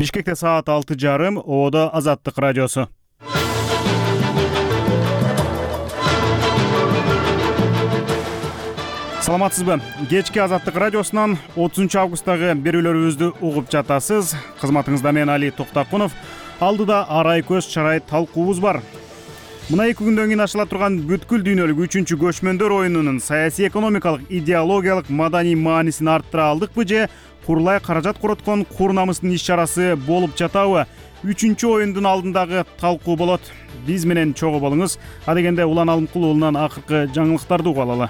Бишкекте саат 6:30, Оодо Азаттык радиосу. Саламатсызбы? Кечки Азаттык радиосунан 30 августтагы берүүлөрүбүздү угуп жатасыз. Кызматыңызда мен Али Токтакунов. Алдыда арай көз чарай талкуубуз бар. Мына 2 күндөн кийин ачыла турган бүткүл дүйнөлүк 3-чү көчмөндөр оюнунун саясий, экономикалык, идеологиялык, маданий маанисин арттыра алдыкпы же курулай каражат короткон кур-намыстын иш-чарасы болуп жатабы? 3-чү оюндун алдындагы талкуу болот. Биз менен чогуу болуңуз. Адегенде Улан Алымкул уулунан акыркы жаңылыктарды угуп алалы.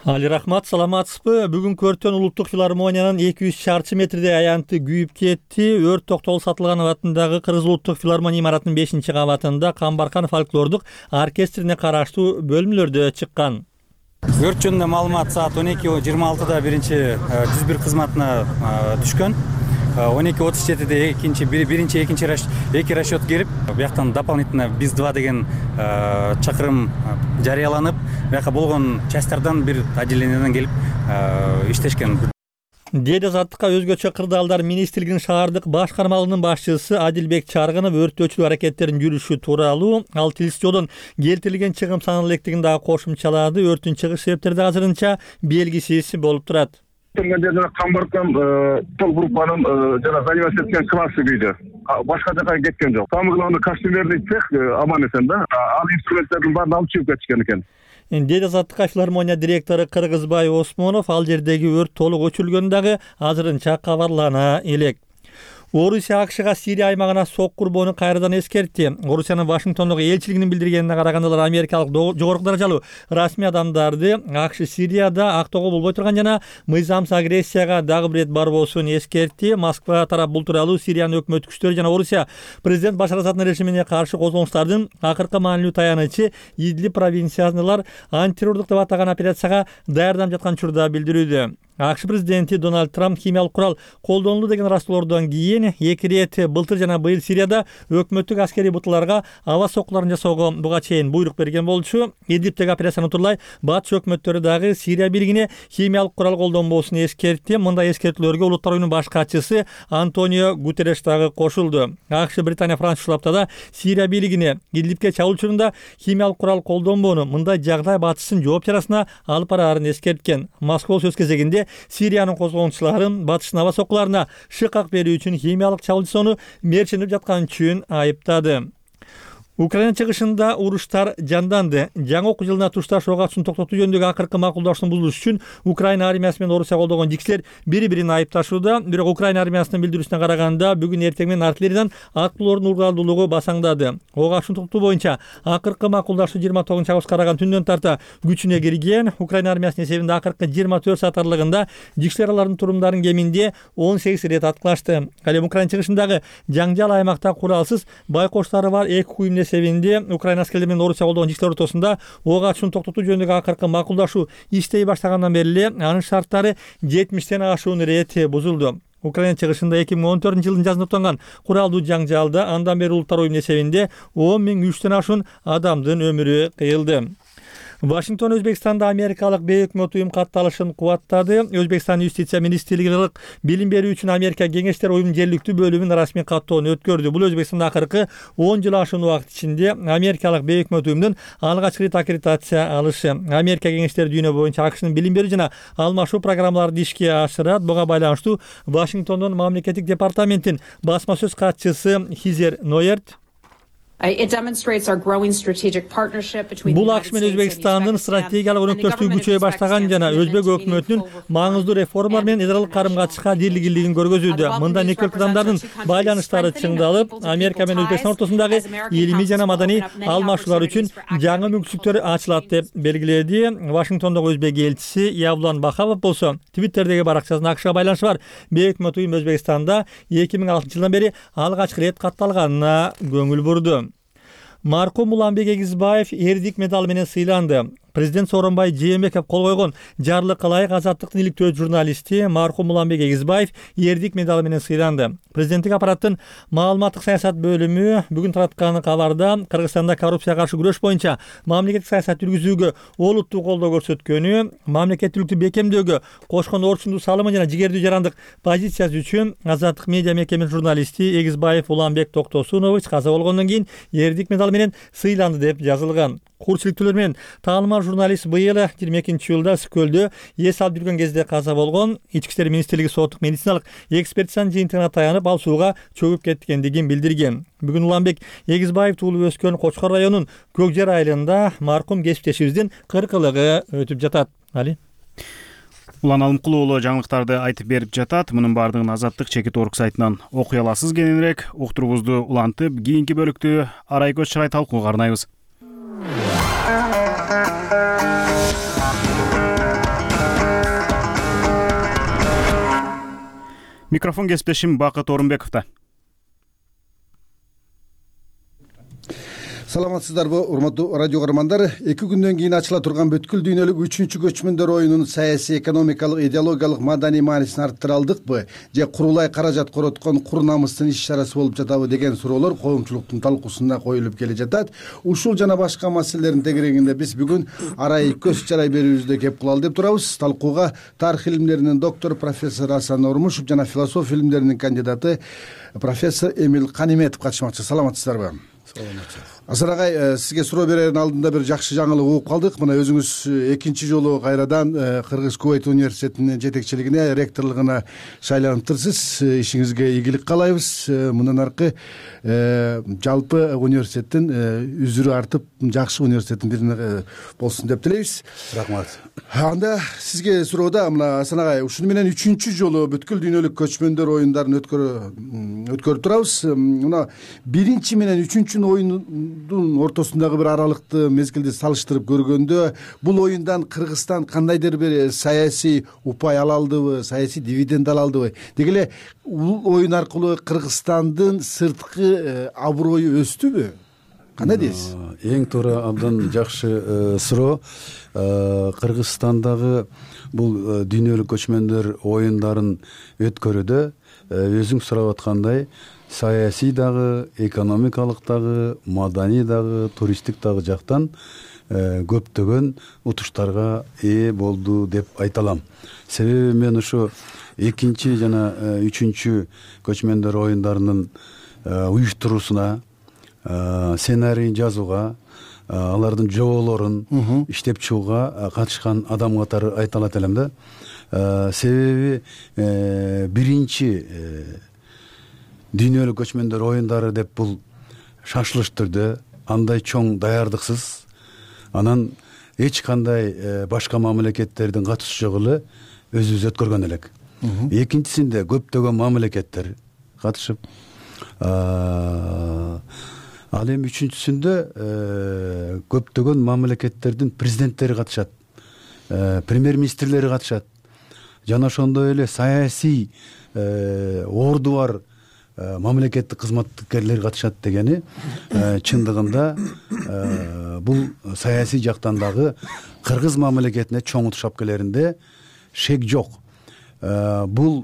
Али рахмат, саламатсызбы? Бүгүн Көртөн улуттук филармониянын 200 чарчы метрдей аянты күйүп кетти. Өрт Токтогул Сатылганов атындагы Кыргыз улуттук филармония имаратынын 5-кабатында Камбаркан фольклордук оркестрине караштуу бөлмөлөрдө чыккан. Өрт жөнүндө маалымат саат 12:26 биринчи жүз бир кызматына түшкөн. 12:37 экинчи расчет келип, бияктан дополнительно БИС-2 деген чакырым жарыяланып, бияка болгон частардан бир отделенияден келип иштешкен. Деди Азаттыкка өзгөчө кырдаалдар министрлигинин шаардык башкармалыгынын башчысы Адилбек Чаргынов өрттөөчүлүк аракеттеринин жүрүшү тууралуу ал тилсиз жолдон келтирилген чыгым санын электигин дагы кошумчалады. Өрттүн чыгыш себептери да азырынча белгисиз болуп турат. Камбаркан тол группанын заниматься эткен классы күйдө. Башка жака кеткен жок. Самый главный костюмерный цех аман эсен да. Ал инструменттердин баарын алып чыгып кетишкен экен. Деди Азаттыкка филармония директору Кыргызбай Осмонов ал жердеги өрт толук өчүрүлгөнү дагы азырынча кабарлана элек. Орусия АКШга Сирия аймагына сок курбоону кайрадан эскертти. Орусиянын Вашингтондогу элчилигинин билдиргенине караганда америкалык жогорку даражалуу расмий адамдарды АКШ Сирияда актоого болбой турган жана мыйзамсыз агрессияга дагы бир ирет барбоосун эскертти. Москва тарап бул тууралуу Сириянын өкмөт күчтөрү жана Орусия президент Башар Асаддын режимине каршы козголуштардын акыркы маанилүү таянычы Идлиб провинциясындагылар антитеррордук деп атаган операцияга даярданып жаткан учурда билдирүүдө. АКШ президенти Дональд Трамп химиялык курал колдонулду деген ыраазчылоордон кийин 2 ирет былтыр жана быйыл Сирияда өкмөттүк аскерий буталарга аба соккуларын жасоого буга чейин буйрук берген болчу. Идлибтеги операцияны утурлай батыш өкмөттөрү дагы Сирия бийлигине химиялык курал колдонбоосун эскертти. Мындай эскертүүлөргө Улуттар уюмунун баш катчысы Антонио Гутерреш дагы кошулду. АКШ, Британия, Франция ушулаптада Сирия бийлигине Идлибке чабуул учурунда химиялык курал колдонбоону, мындай жагдай батыштын жооп чарасына алып бараарын эскерткен. Москва сөз кезегинде Сириянын козголгунчуларын батыштын аба соккуларына шыкак берүү үчүн химиялык чабуул жасоону мерчиленип жаткан үчүн айыптады. Украина чыгышында уруштар жанданды. Жаңы окуу жылына тушташ ок атышууну токтотуу жөнүндөгү акыркы макулдашууну бузуш үчүн Украина армиясы менен Орусия колдогон жиксилер бири-бирин айыпташууда. Бирок Украина армиясынын билдирүүсүнө караганда бүгүн эртең менен артиллериядан аттуулардын ургалдуулугу басаңдады. Ок атышууну токтотуу боюнча акыркы макулдашуу 29 августка караган түндөн тарта күчүнө кирген. Украина армиясынын эсебинде акыркы 24 саат аралыгында жиксилер алардын турумдарын кеминде 18 ирет аткылашты. Ал эми Украина чыгышындагы жаңжал аймакта куралсыз байкоштары бар 2 уюмдун эсебинде Украина аскерлери менен Орусия колдогон жиксилер ортосунда ок атышууну токтотуу жөнүндөгү акыркы макулдашуу иштей баштагандан бери эле анын шарттары 70тен ашуун ирет бузулду. Украина чыгышында 2014 жылдын жазында токтогон куралдуу жаңжалда андан бери Улуттар уюмунун эсебинде 10.300тен ашуун адамдын өмүрү кыйылды. Вашингтон Өзбекстанда америкалык бейөкмөт уюм катталышын кубаттады. Өзбекстан юстиция министрлиги билим берүү үчүн Америка кеңештер уюмунун жергиликтүү бөлүмүн расмий каттоону өткөрдү. Бул Өзбекстанда акыркы 10 жыл ашуун убакыт ичинде америкалык бейөкмөт уюмдун алгачкы рет аккредитация алышы. Америка кеңештери дүйнө боюнча АКШнын билим берүү жана алмашуу программаларын ишке ашырат. Буга байланыштуу Вашингтондун мамлекеттик департаменттин басма сөз катчысы Хизер Нойерт бул АКШ менен Өзбекстандын стратегиялык өнөктөштүгү күчөйө баштаган жана Өзбек өкмөтүнүн маңыздуу реформалар менен эс аралык карым-катышка дилгирлигин көргөзүүдө. Мында эки өлкөдамдардын байланыштары чыңдалып, Америка менен Өзбекстан ортосундагы илимий жана маданий алмашуулар үчүн жаңы мүмкүнчүлүктөр ачылат деп белгиледи. Вашингтондогу Өзбек элчиси Явлан Бахавов болсо Твиттердеги баракчасында АКШга байланышы бар бейөкмөт уюм Өзбекстанда 2006 жылдан бери алгачкы рет катталганына көңүл бурду. Маркум Уланбек Эгизбаев эрдик медалы менен сыйланды. президент Сооронбай Жээнбеков кол койгон жарлыкка ылайык Азаттыктын иликтөө журналисти мархум Уланбек Эгизбаев эрдик медалы менен сыйланды. Президенттик аппараттын маалыматтык саясат бөлүмү бүгүн тараткан кабарда Кыргызстанда коррупцияга каршы күрөш боюнча мамлекеттик саясат жүргүзүүгө олуттуу колдоо көрсөткөнү, мамлекеттүүлүктү бекемдөөгө кошкон орчундуу салымы жана жигердүү жарандык позициясы үчүн Азаттык медиа мекемесинин журналисти Эгизбаев Уланбек Токтосунович каза болгондон кийин эрдик медалы менен сыйланды деп жазылган. Курчиликтүүлөр менен таанымал журналист быйыл 22-жылда Өскөлдө эс алып жүргөн кезде каза болгон. Ички иштер министрлиги соттук медициналык экспертизанын жыйынтыгына таянып, ал сууга чөгүп кеткендигин билдирген. Бүгүн Уланбек Эгизбаев туулуп өскөн Кочкор районунун Көкжер айылында мархум кесиптешибиздин 40-ылыгы өтүп жатат. Али Улан Алымкулуу уулу жаңылыктарды айтып берип жатат. Мунун баардыгын Азаттык Чекит.орг сайтынан окуй аласыз. Кененирээк уктуруубузду улантып, кийинки бөлүктү арай көз чырай талкууга арнайбыз. Микрофон кесиптешим Бакыт Орунбековдо. Саламатсыздарбы, урматтуу радио көрөрмандар. 2 күндөн кийин ачыла турган бүткүл дүйнөлүк 3-чү көчмөндөр оюнунун саясий, экономикалык, идеологиялык, маданий маанисин арттыра алдыкпы же курулай каражат короткон кур намыстын иш-чарасы болуп жатабы деген суроолор коомчулуктун талкуусунда коюлуп келе жатат. Ушул жана башка маселелердин тегерегинде биз бүгүн арай көз чарай берүүбүздө кеп кылалы деп турабыз. Талкууга тарых илимдеринин доктору профессор Асан Ормушев жана философия илимдеринин кандидаты профессор Эмил Каниметов катышмакчы. Саламатсыздарбы? Асан агай, сизге суроо берердин алдында бир жакшы жаңылык угуп калдык. Мына өзүңүз экинчи жолу кайрадан Кыргыз Кувейт университетинин жетекчилигине, ректорлугуна шайланыптырсыз. Ишиңизге ийгилик каалайбыз. Мындан аркы жалпы университеттин үзүрү артып, жакшы университеттин бирине болсун деп тилейбиз. Рахмат. Анда сизге суроода, мына Асан агай, ушуну менен 3-чү жолу бүткүл дүйнөлүк көчмөндөр оюндарын өткөрүп турабыз. Мына 1-чи менен 3-чү оюндун ортосундагы бир аралыкты мезгилди салыштырып көргөндө, бул оюндан Кыргызстан кандайдыр бир саясий упай ала алдыбы, саясий дивиденд ала алдыбы? Деги эле бул оюн аркылуу Кыргызстандын сырткы аброю өстүбү? Кандай дейсиз? Эң туура, абдан жакшы суроо. Кыргызстандагы бул дүйнөлүк көчмөндөр оюндарын өткөрүүдө өзүң сурап аткандай саясий дагы, экономикалык дагы, маданий дагы, туристтик дагы жактан көптөгөн утуштарга ээ болду деп айта алам. Себеби мен ушу 2 жана 3 көчмөндөр оюндарынын уюштуруусуна, сценарийин жазууга, алардын жоболорун иштеп чыгууга катышкан адам катары айта алат элем да. Себеби биринчи дүйнөлүк көчмөндөр оюндары деп бул шашылыш түрдө, андай чоң даярдыксыз, анан эч кандай башка мамлекеттердин катышуусу жок эле өзүбүз өткөргөн элек. Экинчисинде көптөгөн мамлекеттер катышып, ал эми үчүнчүсүндө көптөгөн мамлекеттердин президенттери катышат, премьер-министрлери катышат, жана ошондой эле саясий орду бар мамлекеттик кызматкерлер катышат дегени чындыгында бул саясий жактан дагы кыргыз мамлекетине чоң утуш алып келеринде шек жок. Бул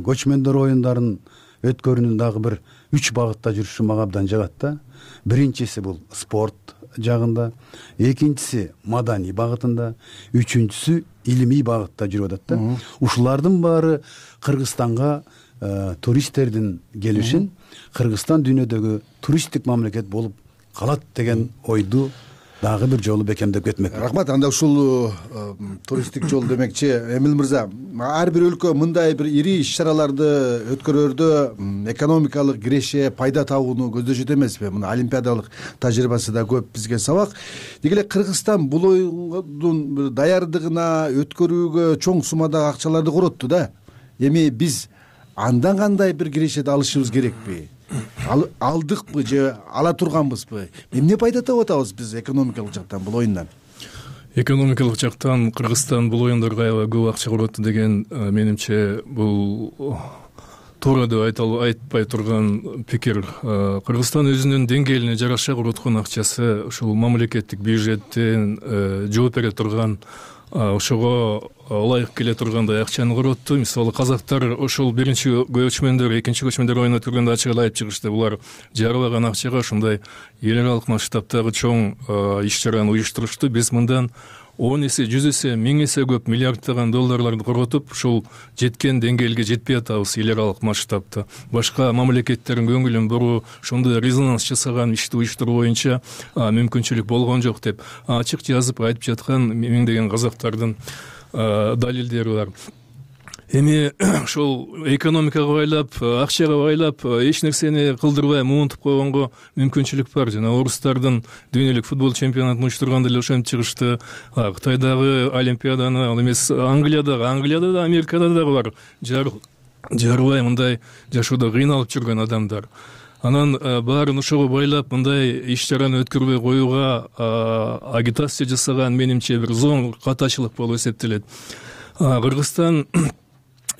көчмөндөр оюндарын өткөрүүнүн дагы бир 3 багытта жүрүшү мага абдан жагат да. Биринчиси бул спорт жагында, экинчиси маданий багытында, үчүнчүсү илимий багытта жүрүп атат да. Ушулардын баары Кыргызстанга туристтердин келишин, Кыргызстан дүйнөдөгү туристтик мамлекет болуп калат деген ойду дагы бир жолу бекемдеп кетмек. Рахмат. Анда ушул туристтик жол демекчи, Эмил мырза, ар бир өлкө мындай бир ири иш-чараларды өткөрөрдө экономикалык киреше, пайда табууну көздөшөт эмеспи? Мына олимпиадалык тажрыйбасы да көп бизге сабак. Деги эле Кыргызстан бул оюндун бир даярдыгына, өткөрүүгө чоң суммадагы акчаларды коротту да. Эми биз андан кандай бир кирешеди алышыбыз керекпи? Алдыкпы же ала турганбызбы? Эмне пайда таап атабыз биз экономикалык жактан бул оюндан? Экономикалык жактан Кыргызстан бул оюндарга аябай көп акча коротту деген менимче бул туура деп айтпай турган пикир. Кыргызстан өзүнүн деңгээлине жараша короткон акчасы ушул мамлекеттик бюджеттен жооп бере турган, ошого ылайык келе тургандай акчаны коротту. Мисалы казактар ошол биринчи көчмөндөр, экинчи көчмөндөр оюна турганда ачык эле айтып чыгышты. Булар жарыбаган акчага ушундай эл аралык масштабтагы чоң иш чараны уюштурушту. Биз мындан 10 эсе, 100 эсе, 1000 эсе көп миллиарддаган долларларды коротуп, ушул жеткен деңгээлге жетпей атабыз эл аралык масштабта. Башка мамлекеттердин көңүлүн буруу, ошондой резонанс жасаган ишти уюштуруу боюнча мүмкүнчүлүк болгон жок деп ачык жазып айтып жаткан миңдеген казактардын далилдери бар. Эми ошол экономикага байлап, акчага байлап, эч нерсени кылдырбай муунтуп койгонго мүмкүнчүлүк бар. Жана орустардын дүйнөлүк футбол чемпионатын уюштурганда эле ошентип чыгышты. Кытайдагы олимпиаданы, ал эмес Англияда да, Америкада дагы бар. Жарыбай мындай жашоодо кыйналып жүргөн адамдар. Анан баарын ошого байлап, мындай иш чараны өткөрбөй коюуга агитация жасаган менимче бир зоң катачылык болуп эсептелет. Кыргызстан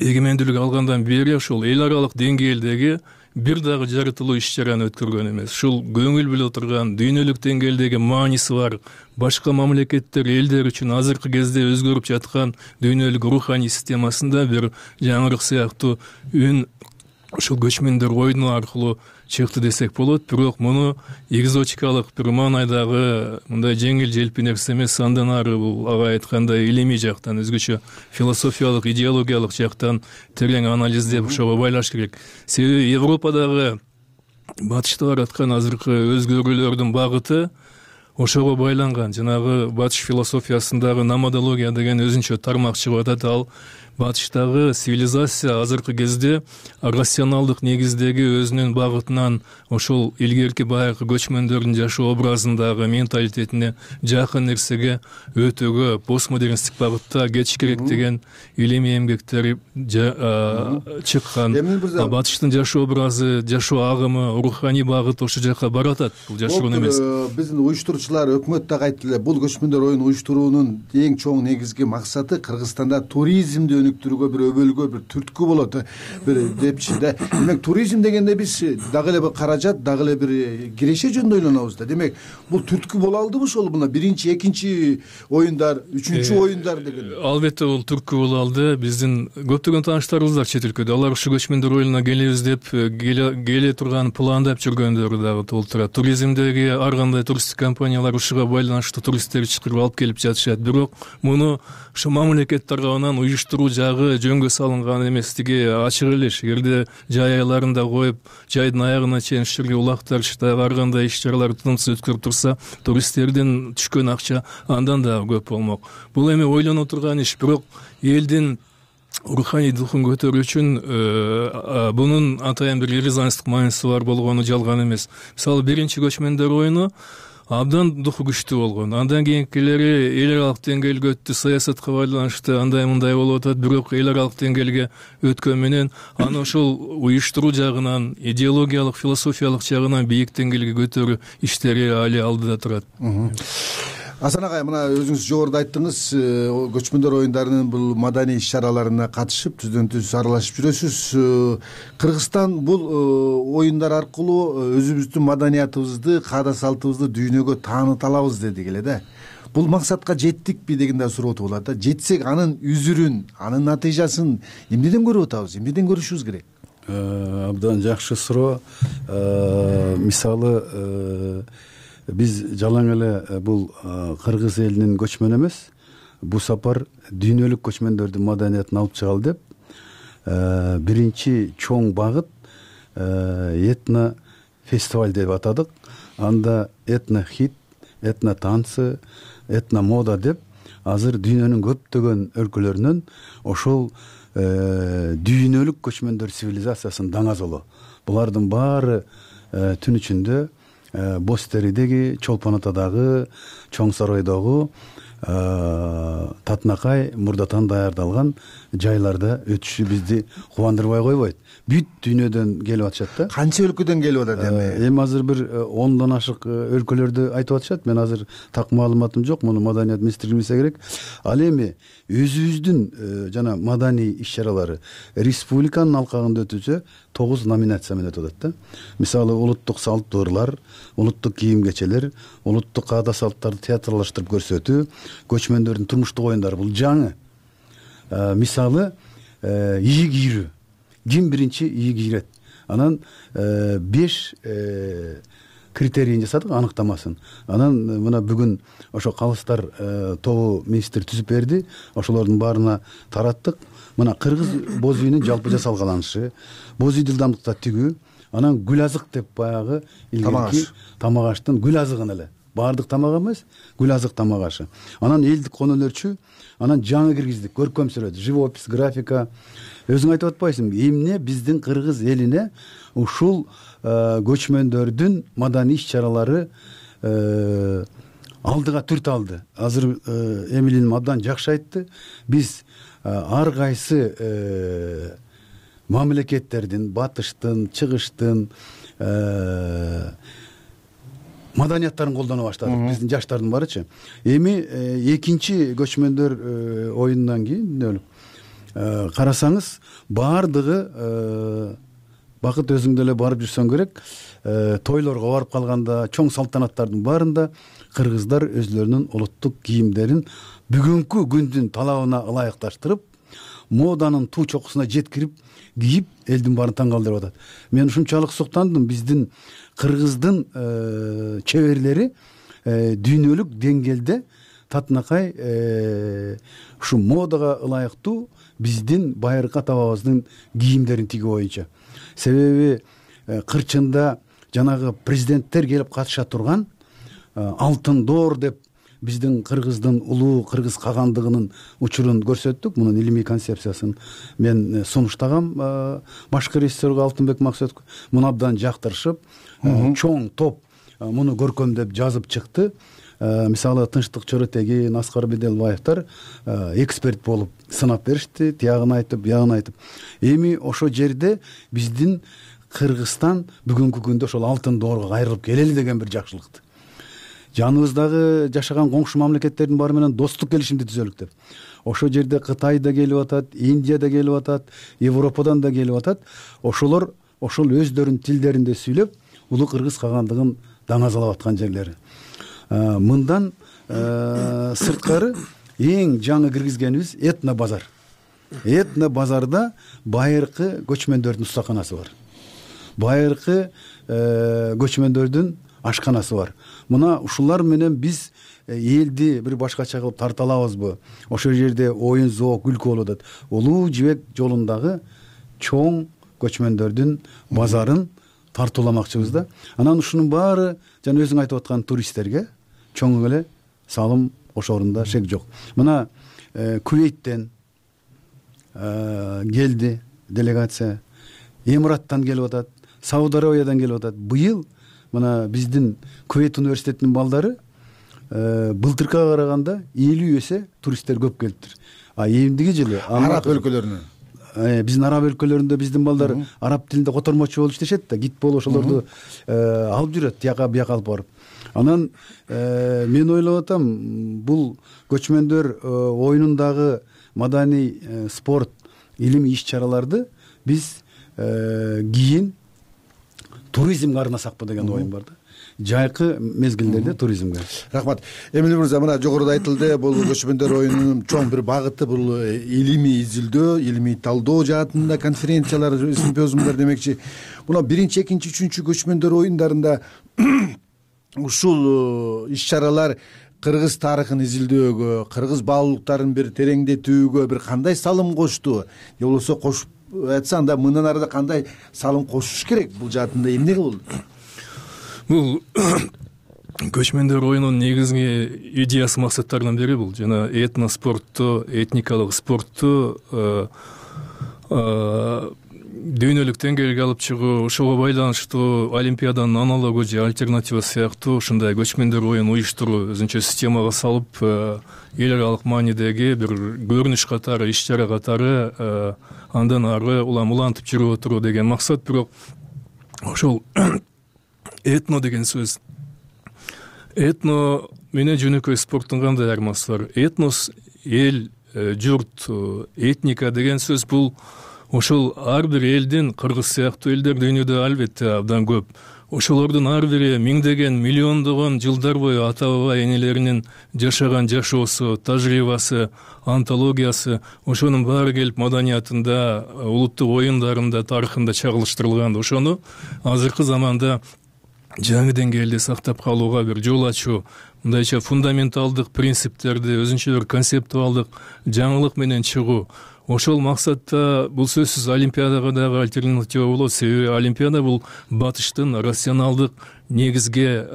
эгемендүүлүк алгандан бери ошол эл аралык деңгээлдеги бир дагы жарытылуу иш чараны өткөргөн эмес. Ушул көңүл бөлө турган дүйнөлүк деңгээлдеги мааниси бар башка мамлекеттер, элдер үчүн азыркы кезде өзгөрүп жаткан дүйнөлүк руханий системасында бир жаңырык сыяктуу үн ушул көчмөндөр оюну аркылуу чыкты десек болот. Бирок муну экзотикалык бир маанайдагы мындай жеңил желпи нерсе эмес, андан ары бул ага айткандай илимий жактан, өзгөчө философиялык, идеологиялык жактан терең анализдеп ошого байлаш керек. Себеби Европадагы батышта бараткан азыркы өзгөрүүлөрдүн багыты ошого байланган. Жанагы батыш философиясындагы номадология деген өзүнчө тармак чыгып атат. Ал батыштагы цивилизация азыркы кезде рационалдык негиздеги өзүнүн багытынан ошол илгерки баягы көчмөндөрдүн жашоо образындагы менталитетине жакын нерсеге өтүүгө постмодернисттик багытта кетиш керек деген илимий эмгектер чыккан. Батыштын жашоо образы, жашоо агымы, руханий багыт ошол жака баратат. Бул жашыруун эмес. Биздин уюштуруучулар, өкмөт дагы айтты эле, бул көчмөндөр оюн уюштуруунун эң чоң негизги максаты Кыргызстанда туризмди өнүктүрүүгө, бир өбөлгө, бир түрткү болот, бир депчи да. Демек туризм дегенде биз дагы эле бир каражат, дагы эле бир киреше жөнүндө ойлонобуз да. Демек бул түрткү боло алдыбы ошол мына биринчи, экинчи оюндар, үчүнчү оюндар деген? Албетте бул түрткү боло алды. Биздин көптөгөн тааныштарыбыз бар чет өлкөдө. Алар ушу көчмөндөр оюнуна келебиз деп келе турган пландап жүргөндөрү дагы толтурат. Туризмдеги ар кандай туристтик компаниялар ушуга байланыштуу туристтерди чакырып алып келип жатышат. Бирок муну ушу мамлекет тарабынан уюштуруу жагы жөнгө салынган эместиги ачык эле. Эгерде жай айларында коюп, жайдын аягына чейин ушул жерге улактар, ар кандай иш чаралар тынымсыз өткөрүп турса, туристтердин түшкөн акча андан да көп болмок. Бул эми ойлоно турган иш. Бирок элдин руханий духун көтөрүү үчүн бунун атайын бир резонанстык мааниси бар болгону жалган эмес. Мисалы биринчи көчмөндөр оюну абдан духу күчтүү болгон. Андан кийинкилери эл аралык деңгээлге өттү, саясатка байланыштуу андай мындай болуп атат. Бирок эл аралык деңгээлге өткөн менен аны ошол уюштуруу жагынан, идеологиялык, философиялык жагынан бийик деңгээлге көтөрүү иштери али алдыда турат. Асан агай, мына өзүңүз жогоруда айттыңыз, көчмөндөр оюндарынын бул маданий иш чараларына катышып, түздөн түз аралашып жүрөсүз. Кыргызстан бул оюндар аркылуу өзүбүздүн маданиятыбызды, каада салтыбызды дүйнөгө тааныта алабыз дедик эле да. Бул максатка жеттикпи деген да суроо болот да. Жетсек анын үзүрүн, анын натыйжасын эмнеден көрүп атабыз, эмнеден көрүшүбүз керек? Абдан жакшы суроо. Мисалы биз жалаң эле бул кыргыз элинин көчмөнү эмес, бул сапар дүйнөлүк көчмөндөрдүн маданиятын алып чыгалы деп биринчи чоң багыт этно фестиваль деп атадык. Анда этно хит, этно танцы, этно мода деп азыр дүйнөнүн көптөгөн өлкөлөрүнөн ошол дүйнөлүк көчмөндөр цивилизациясынын даңазолу. Булардын баары түн ичинде Боз Теридеги, Чолпон Атадагы, Чоң Сарайдагы татынакай мурдатан даярдалган жайларда өтүшү бизди кубандырбай койбойт. Бүт дүйнөдөн келип атышат да. Канча өлкөдөн келип атат эми? Эми азыр бир 10дон ашык өлкөлөрдү айтып атышат. Мен азыр так маалыматым жок, муну маданият министрлиги билсе керек. Ал эми өзүбүздүн жана маданий иш-чаралары республиканын алкагында өтүлсө 9 номинация менен өтүп атат да. Мисалы улуттук салттуу ырлар, улуттук кийим-кечелер, улуттук аада-салттарды театрлаштырып көрсөтүү, көчмөндөрдүн турмуштук оюндары бул жаңы. Мисалы ийи кийрүү. Ким биринчи ийи кийрет? Анан 5 критерийин жасадык, аныктамасын. Анан мына бүгүн ошо калыстар тобу министр түзүп берди. Ошолордун баарына тараттык. Мына кыргыз боз үйүнүн жалпы жасалгаланышы, боз үй дылдамдыкта тигүү, анан гүл азык деп баягы илгерки тамак аштын гүл азыгын эле. Баардык тамак эмес, гүл азык тамак ашы. Анан элдик конолорчу, анан жаңы киргиздик, көркөм сүрөт, живопись, графика. Өзүң айтып атпайсыңбы? Эмне биздин кыргыз элине ушул көчмөндөрдүн маданий иш-чаралары алдыга түрт алды. Азыр Эмилин абдан жакшы айтты. Биз ар кайсы мамлекеттердин, батыштын, чыгыштын маданияттарын колдоно баштадык. Биздин жаштардын баарычы. Эми экинчи көчмөндөр оюнунан кийин карасаңыз, баардыгы бакыт өзүң деле барып жүрсөң керек, тойлорго барып калганда, чоң салтанаттардын баарында кыргыздар өзлөрүнүн улуттук кийимдерин бүгүнкү күндүн талабына ылайыкташтырып, моданын туу чокусуна жеткирип кийип, элдин баарын таң калтырып атат. Мен ушунчалык суктандым, биздин кыргыздын чеберлери дүйнөлүк деңгээлде татынакай ушу модага ылайыктуу биздин байыркы ата-бабабыздын кийимдерин тигүү боюнча. Себеби кырчында жанагы президенттер келип катыша турган алтын доор деп биздин кыргыздын улуу кыргыз кагандыгынын учурун көрсөттүк. Мунун илимий концепциясын мен сунуштагам башкы режиссерге Алтынбек Максөткө. Муну абдан жактырышып, чоң топ муну көркөмдөп жазып чыкты. Мисалы Тынчтык Чоротегин, Аскар Беделбаевтар эксперт болуп сынап беришти, тиягын айтып, биягын айтып. Эми ошо жерде биздин Кыргызстан бүгүнкү күндө ошол алтын доорго кайрылып келели деген бир жакшылыкты. Жаныбыздагы жашаган коңшу мамлекеттердин баары менен достук келишимди түзөлүк деп. Ошо жерде Кытай да келип атат, Индия да келип атат, Европадан да келип атат. Ошолор ошол өздөрүнүн тилдеринде сүйлөп, улуу кыргыз кагандыгын даңазалап аткан жерлери. Мындан сырткары эң жаңы киргизгенибиз этно базар. Этно базарда байыркы көчмөндөрдүн устаканасы бар. Байыркы көчмөндөрдүн ашканасы бар. Мына ушулар менен биз элди бир башкача кылып тарта алабызбы? Ошол жерде оюн, зоок, күлкү болуп атат. Улуу жибек жолундагы чоң көчмөндөрдүн базарын тартууламакчыбыз да. Анан ушунун баары жана өзүң айтып аткан туристтерге чоң эле салым кошорунда шек жок. Мына Кувейттен келди делегация, Эмираттан келип атат, Сауд Арабиядан келип атат. Быйыл мына биздин Кувейт университетинин балдары былтыркыга караганда 50 эсе туристтер көп келиптир. Эмдиги жылы араб өлкөлөрүнөн биздин араб өлкөлөрүндө биздин балдар араб тилинде котормочу болуп иштешет да, гид болуп ошолорду алып жүрөт, тияка бияка алып барып. Анан мен ойлоп атам, бул көчмөндөр оюнундагы маданий, спорт, илимий иш-чараларды биз кийин туризмге арнасакпы деген оюм бар да. Жайкы мезгилдерде туризмге. Рахмат. Эмил мырза, мына жогоруда айтылды, бул көчмөндөр оюнунун чоң бир багыты бул илимий изилдөө, илимий талдоо жаатында конференциялар, симпозиумдар демекчи. Мына 1-2, 3 көчмөндөр оюндарында ушул иш-чаралар кыргыз тарыхын изилдөөгө, кыргыз баалуулуктарын бир тереңдетүүгө бир кандай салым кошту? Же болбосо кошуп айтса, анда мындан арыда кандай салым кошуш керек? Бул жаатында эмне болду? Бул көчмөндөр оюнунун негизги идеясы, максаттарынан бири бул жана этно спортту, этникалык спортту дүйнөлүк деңгээлге алып чыгуу, ошого байланыштуу олимпиаданын аналогу же альтернатива сыяктуу ушундай көчмөндөр оюн уюштуруу өзүнчө системага салып, эл аралык маанидеги бир көрүнүш катары, иш чара катары андан ары улам-улантып жүрүп отуруу деген максат. Бирок ошол этно деген сөз, этно менен жөнөкөй спорттун кандай айырмасы бар? Этнос эл, журт, этника деген сөз бул ошол ар бир элдин, кыргыз сыяктуу элдер дүйнөдө албетте абдан көп. Ошолордун ар бири миңдеген, миллиондогон жылдар бою ата баба энелеринин жашаган жашоосу, тажрыйбасы, антологиясы, ошонун баары келип маданиятында, улуттук оюндарында, тарыхында чагылыштырылган. Ошону азыркы заманда жаңы деңгээлде сактап калууга бир жол ачуу, мындайча фундаменталдык принциптерди, өзүнчө бир концептуалдык жаңылык менен чыгуу. Ошол максатта бул сөзсүз олимпиадага дагы альтернатива болот. Себеби олимпиада бул батыштын рационалдык негизге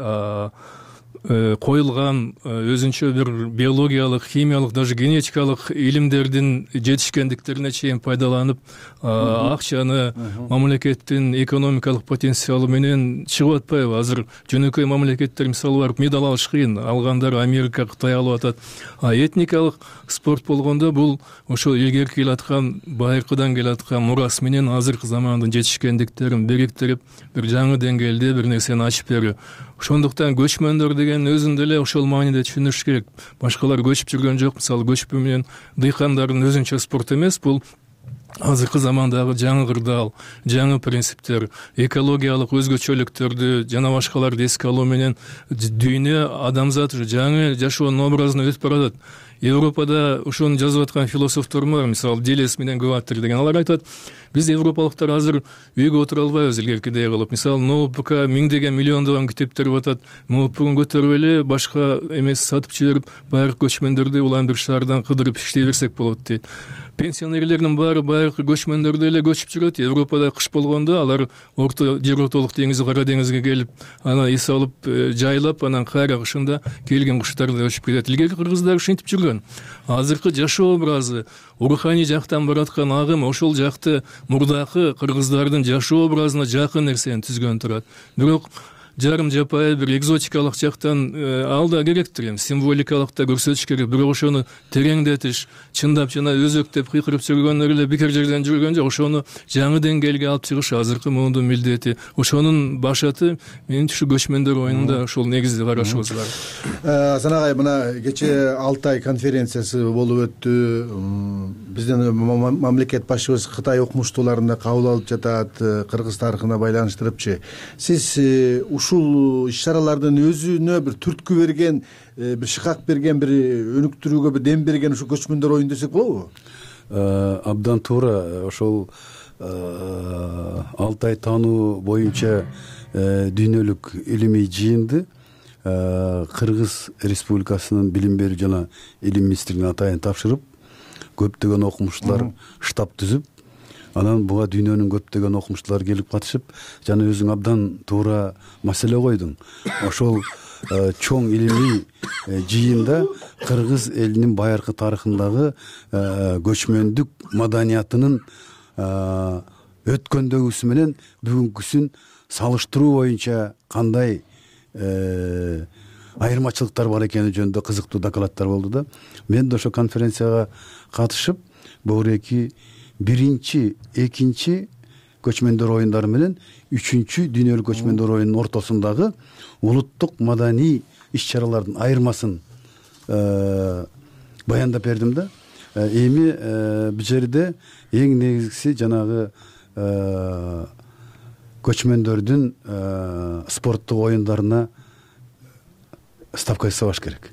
коюлган өзүнчө бир биологиялык, химиялык, даже генетикалык илимдердин жетишкендиктерине чейин пайдаланып, акчаны мамлекеттин экономикалык потенциалы менен чыгып атпайбы? Азыр жөнөкөй мамлекеттер мисалы барып медаль алыш кыйын, алгандар Америка, Кытай алып атат. Этникалык спорт болгондо бул ошол илгерки келаткан, байыркыдан келаткан мурас менен азыркы замандын жетишкендиктерин бириктирип, бир жаңы деңгээлде бир нерсени ачып берүү. Ошондуктан көчмөндөр деген өзүндө эле ошол мааниде түшүнүш керек. Башкалар көчүп жүргөн жок. Мисалы көчпө менен дыйкандардын өзүнчө спорт эмес, бул азыркы замандагы жаңы кырдаал, жаңы принциптер, экологиялык өзгөчөлүктөрдү жана башкаларды эске алуу менен дүйнө, адамзат жаңы жашоонун образына өтүп баратат. Европада ошону жазып аткан философтор бар, мисалы Делес менен Гваттер деген. Алар айтат, биз европалыктар азыр үйгө отура албайбыз илгеркидей кылып. Мисалы ноутбукка миңдеген, миллиондогон китептер батат. Ноутбугун көтөрүп эле башка эмес сатып жиберип, байыркы көчмөндөрдү улам бир шаардан кыдырып иштей берсек болот дейт. Пенсионерлердин баары байыркы көчмөндөрдө эле көчүп жүрөт. Европада кыш болгондо алар жер ортолук деңизи, Кара деңизге келип, ана эс алып, жайлап, анан кайра кышында келген куштарды өчүп кетет. Илгерки кыргыздар ушинтип жүргөн. Азыркы жашоо образы, руханий жактан бараткан агым ошол жакты мурдакы кыргыздардын жашоо образына жакын нерсени түзгөн турат. Бирок жарым жапайы бир экзотикалык жактан ал да керектир, эми символикалык да көрсөтүш керек. Бирок ошону тереңдетиш, чындап жана өзөктөп кыйкырып жүргөндөр эле бекер жерден жүргөн жок. Ошону жаңы деңгээлге алып чыгыш азыркы муундун милдети. Ошонун башаты менин ушу көчмөндөр оюнунда ошол негизди карашыбыз бар. Асан агай, мына кечээ Алтай конференциясы болуп өттү. Биздин мамлекет башчыбыз Кытай окумуштууларын кабыл алып жатат, кыргыз тарыхына байланыштырыпчы. Сиз ушул иш-чаралардын өзүнө бир түрткү берген, бир шыкак берген, бир өнүктүрүүгө бир дем берген ушу көчмөндөр оюн десек болобу? Абдан туура. Ошол Алтай таануу боюнча дүйнөлүк илимий жыйынды Кыргыз Республикасынын билим берүү жана илим министрлигине атайын тапшырып, көптөгөн окумуштуулар штаб түзүп, анан буга дүйнөнүн көптөгөн окумуштуулары келип катышып, жана өзүң абдан туура маселе койдуң. Ошол чоң илимий жыйында кыргыз элинин байыркы тарыхындагы көчмөндүк маданиятынын өткөндөгүсү менен бүгүнкүсүн салыштыруу боюнча кандай айырмачылыктар бар экени жөнүндө кызыктуу докладдар болду да. Мен да ошо конференцияга катышып, богуреки биринчи, экинчи көчмөндөр оюндары менен үчүнчү дүйнөлүк көчмөндөр оюнунун ортосундагы улуттук маданий иш-чаралардын айырмасын баяндап бердим да. Эми бул жерде эң негизгиси жанагы көчмөндөрдүн спорттук оюндарына ставка жасабаш керек.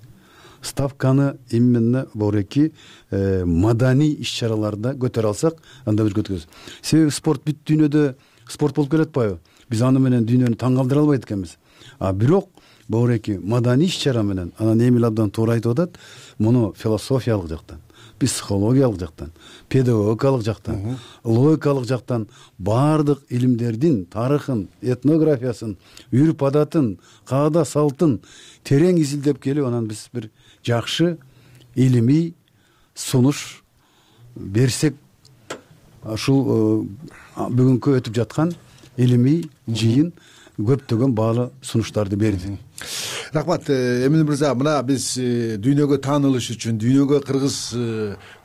Ставканы именно богуреки маданий иш-чараларда көтөрө алсак, анда бир көтөрөбүз. Себеби спорт бүт дүйнөдө спорт болуп келатпайбы? Биз аны менен дүйнөнү таң калтыра албайт экенбиз. Бирок богуреки маданий иш-чара менен, анан Эмил абдан туура айтып атат, муну философиялык жактан, психологиялык жактан, педагогикалык жактан, логикалык жактан баардык илимдердин тарыхын, этнографиясын, үрп адатын, каада салтын терең изилдеп келип, анан биз бир жакшы илимий сунуш берсек ушул бүгүнкү өтүп жаткан илимий жыйын көптөгөн баалуу сунуштарды берди. Рахмат Эмил мырза, мына биз дүйнөгө таанылыш үчүн, дүйнөгө кыргыз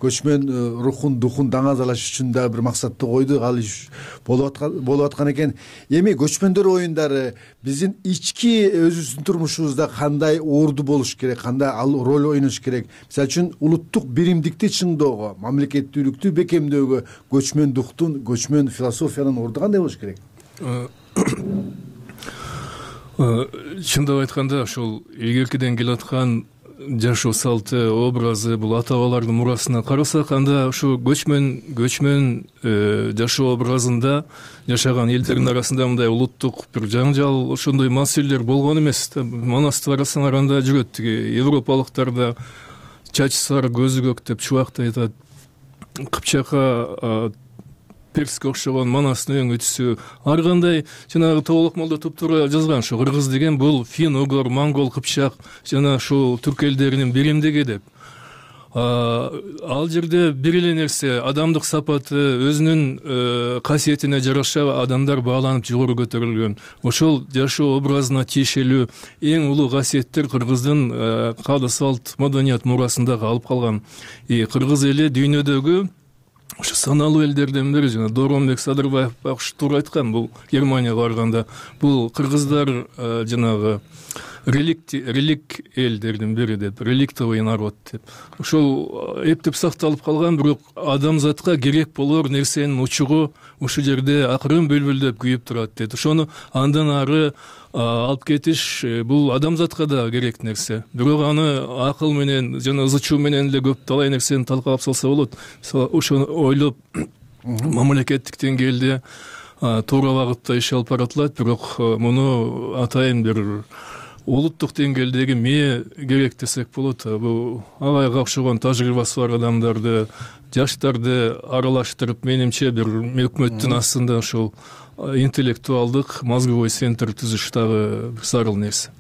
көчмөн рухун, духун даңазалаш үчүн да бир максатты койдук. Ал иш болуп аткан экен. Эми көчмөндөр оюндары биздин ички өзүбүздүн турмушубузда кандай орду болуш керек, кандай ал роль ойнош керек? Мисалы үчүн улуттук биримдикти чыңдоого, мамлекеттүүлүктү бекемдөөгө көчмөн духтун, көчмөн философиянын орду кандай болуш керек? Чындап айтканда ошол илгеркиден келаткан жашоо салты, образы, бул ата бабалардын мурасына карасак, анда ушу көчмөн жашоо образында жашаган элдердин арасында мындай улуттук бир жаңжал, ошондой маселелер болгон эмес. Манасты карасаңар, анда жүрөт тиги европалыктарда чачы сары, көзү көк деп чубактай айтат. Кыпчакка перске окшогон манастын өң өтүсү, ар кандай жанагы Тоболок молдо туптуура жазган, ошо кыргыз деген бул фин, угор, монгол, кыпчак жана ушул түрк элдеринин биримдиги деп. Ал жерде бир эле нерсе, адамдык сапаты, өзүнүн касиетине жараша адамдар бааланып жогору көтөрүлгөн. Ошол жашоо образына тиешелүү эң улуу касиеттер кыргыздын каада салт, маданият мурасында калып калган. Кыргыз эли дүйнөдөгү ошо саналуу элдерден бири. Жана Дооронбек Садырбаев ушу туура айткан, бул Германияга барганда, бул кыргыздар жанагы релик элдердин бири деп, реликтовый народ деп. Ошол эптеп сакталып калган, бирок адамзатка керек болор нерсенин учугу ушул жерде акырын бүлбүлдөп күйүп турат дейт. Ошону андан ары алып кетиш бул адамзатка да керек нерсе. Бирок аны акыл менен жана ызы чуу менен эле көп талай нерсени талкалап салса болот. Ошону ойлоп мамлекеттик деңгээлде туура багытта иш алып баратылат, бирок муну атайын бир улуттук деңгээлдеги мээ керек десек болот. Бул агайга окшогон тажрыйбасы бар адамдарды, жаштарды аралаштырып, менимче бир өкмөттүн астында ошол интеллектуалдык мозговой центр түзүш дагы зарыл нерсе.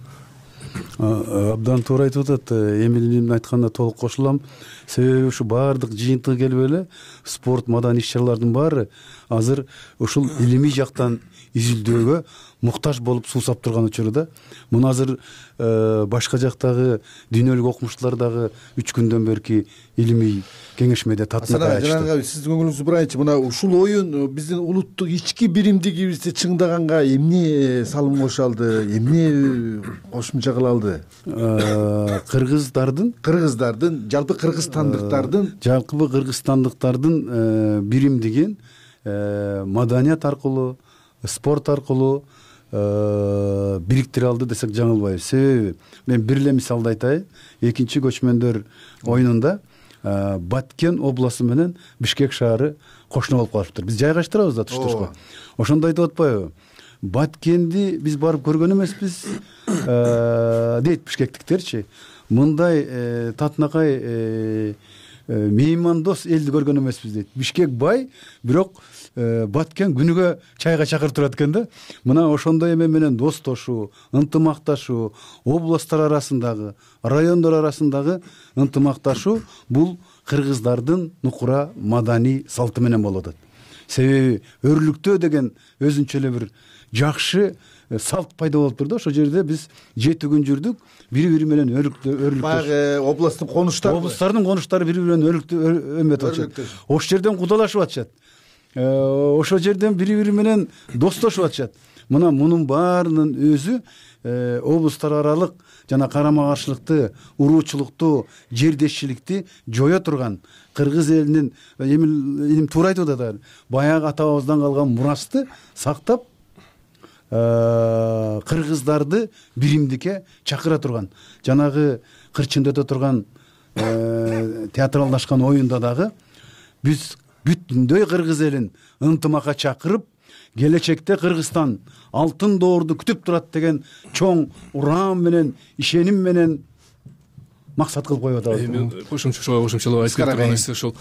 Абдан туура айтып атат. Эмилдин айтканына толук кошулам. Себеби ушу баардык жыйынтыгы келип эле спорт, маданий иш-чаралардын баары азыр ушул илимий жактан изилдөөгө муктаж болуп суусап турган учурда. Муну азыр башка жактагы дүйнөлүк окумуштуулар дагы 3 күндөн берки илимий кеңешмеде татынакай ачты. Жанагы сиздин көңүлүңүздү бурайынчы, мына ушул оюн биздин улуттук ички биримдигибизди чыңдаганга эмне салым кошо алды, эмне кошумча кыла алды? Кыргыздардын, жалпы кыргызстандыктардын биримдигин маданият аркылуу, спорт аркылуу бириктире алды десек жаңылбайбыз. Себеби мен бир эле мисалды айтайын. Экинчи көчмөндөр оюнунда Баткен областы менен Бишкек шаары кошуна болуп калышыптыр. Биз жайгаштырабыз да туштушка. Ошондо айтып атпайбы? Баткенди биз барып көргөн эмеспиз дейт бишкектиктерчи. Мындай татынакай меймандос элди көргөн эмеспиз дейт. Бишкек бай, бирок Баткен күнүгө чайга чакырып турат экен да. Мына ошондой эме менен достошуу, ынтымакташуу, областтар арасындагы, райондор арасындагы ынтымакташуу бул кыргыздардын нукура маданий салты менен болуп атат. Себеби өрлүктөө деген өзүнчө эле бир жакшы салт пайда болуп турду. Ошол жерде биз 7 күн жүрдүк, бири-бири менен өрлүктөш. Баягы областтын конуштарын конуштары бири-бири менен өмөтүп атышат. Ошол жерден кудалашып атышат. Ошол жерден бири-бири менен достошуп атышат. Мына мунун баарынын өзү областтар аралык жана карама каршылыкты, уруучулукту, жердешчиликти жое турган кыргыз элинин Эмил туура айтып атат. Баягы ата бабабыздан калган мурасты сактап, кыргыздарды биримдикке чакыра турган, жанагы кырчында өтө турган театралдашкан оюнда дагы биз бүтүндөй кыргыз элин ынтымакка чакырып, келечекте Кыргызстан алтын доорду күтүп турат деген чоң урам менен, ишеним менен максат кылып коюп атабыз. Кошумчалап айтып турган нерсе ошол.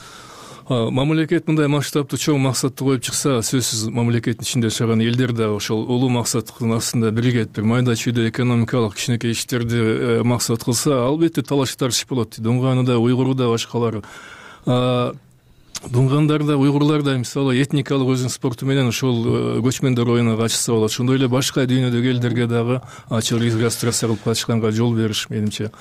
Мамлекет мындай масштабтуу чоң максатты коюп чыкса, сөзсүз мамлекеттин ичинде жашаган элдер да ошол улуу максаттын астында биригет, бир майда чүйдө экономикалык кичинекей иштерди максат кылса, албетте талаш тартыш болот. Дуңганы да, уйгуру да, башкалары. дуңгандар да, уйгурлар да мисалы этникалык өзүнүн спорту менен ошол көчмөндөр оюна катышса болот. Ошондой эле башка дүйнөдөгү элдерге дагы ачык регистрация кылып катышканга жол бериш менимче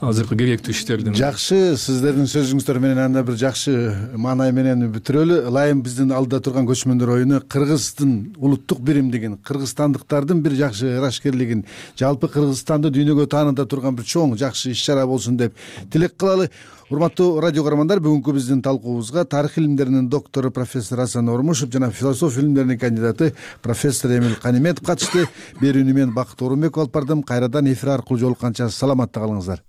азыркы керектүү иштердин. Жакшы, сиздердин сөзүңүздөр менен анда бир жакшы маанай менен бүтүрөлү. Ылайым биздин алдыда турган көчмөндөр оюну Кыргыздын улуттук биримдигин, кыргызстандыктардын бир жакшы ырашкерлигин, жалпы Кыргызстанды дүйнөгө тааныта турган бир чоң жакшы иш-чара болсун деп тилек кылалы. Урматтуу радио көрөрмандар, бүгүнкү биздин талкуубузга тарых илимдеринин доктору профессор Асан Ормушев жана философия илимдеринин кандидаты профессор Эмил Каниметов катышты. Берүүнү мен Бакыт Орунбеков алып бардым. Кайрадан эфир аркылуу жолукканча саламатта калыңыздар.